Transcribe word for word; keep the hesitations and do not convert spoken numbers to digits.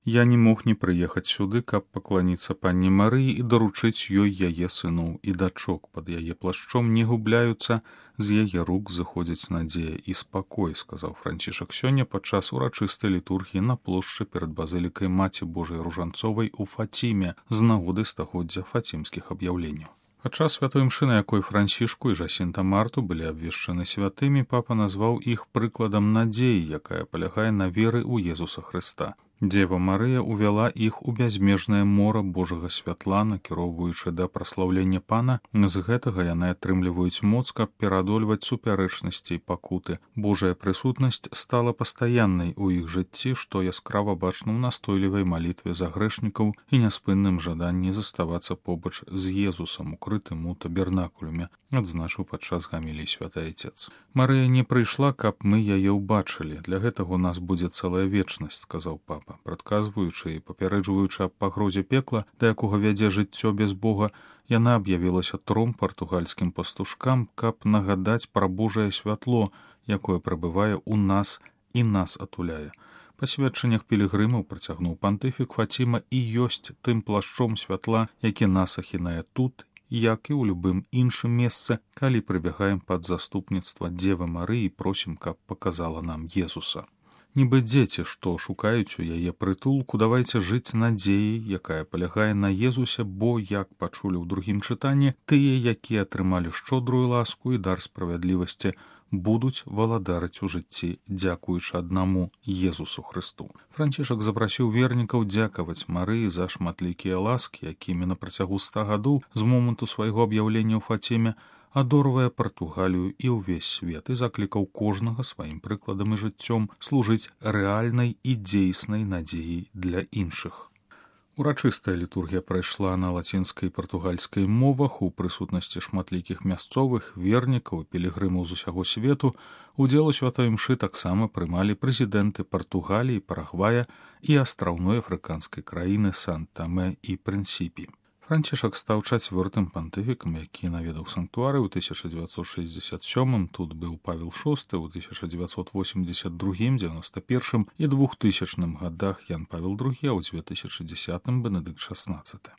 Я не мог не прыехаць сюды, каб пакланіцца панне Марыі і даручыць ёй яе сыноў і дачок. Пад яе плашчом не губляюцца, з яе рук зыходзіць надзея і спакой, сказаў Францішак сёння падчас урачыстай літургіі на плошчы перад базылікай Маці Божай Ружанцовай у Фаціме з нагоды стагоддзя фацімскіх аб'яўленняў. Падчас святой імшы, на якой Францішку і Жасінта Марту былі абвешчаны святымі, папа назваў іх прыкладам надзеі, якая палягае на веры ў Езуса Хрыста. Дзева Марыя увяла іх у бязмежнае мора Божага святла, накіроўваючы да праслаўлення Пана. З гэтага яны атрымліваюць моц, каб пераадольваць супярэчнасці і пакуты. Божая прысутнасць стала пастаяннай у іх жыцці, што яскрава бачна ў настойлівай малітве за грэшнікаў і няспынным жаданні заставацца побач з Езусам, укрытым у табернакулюме, адзначыў падчас гаміліі святы Айцец. Марыя не прыйшла, каб мы яе ўбачылі. Для гэтага ў нас будзе цэлая вечнасць, сказаў папа. Прадказваючы і папярэджваючы аб пагрозе пекла, да якога вядзе жыццё без Бога, яна аб'явілася тром партугальскім пастушкам, каб нагадаць пра Божае святло, якое прабывае ў нас і нас атуляе. Па сведчаннях пілігрымаў, працягнуў пантыфік, Фаціма і ёсць тым плашчом святла, які нас ахінае тут, як і ў любым іншым месцы, калі прыбягаем пад заступніцтва Дзевы Марыі і просім, каб паказала нам Езуса. Нібы дзеці, што шукаюць у яе прытулку, давайце жыць надзеяй, якая палягае на Езусе, бо, як пачулі ў другім чытанні, тыя, якія атрымалі шчодрую ласку і дар справядлівасці, будуць валадарыць у жыцці, дзякуючы аднаму Езусу Хрысту. Францішак запрасіў вернікаў дзякаваць Марыі за шматлікія ласкі, якімі на працягу ста гадоў з моманту свайго аб'яўлення ў Фаціме адорвае Партугалію і ўвесь свет і заклікаў кожнага сваім прыкладам і жыццём служыць рэальнай і дзейснай надзеяй для іншых. Урачыстая літургія прайшла на лацінскай і партугальскай мовах у прысутнасці шматлікіх мясцовых, вернікаў і пілігрымаў з усяго свету. Удзел у святой імшы таксама прымалі прэзідэнты Партугаліі, Парагвая і астраўной афрыканскай краіны Сан-Тамэ і Прынсіпі. Францішак стаў чацвёртым пантыфікам, які наведаў санктуары ў тысяча дзевяцьсот шэсцьдзесят сёмым, тут быў Павел шосты, у тысяча дзевяцьсот восемьдесят другім, дзевяноста першым і двухтысячным гадах Ян Павел другі, а ў дзве тысячы дзесятым Бенедыкт шаснаццаты.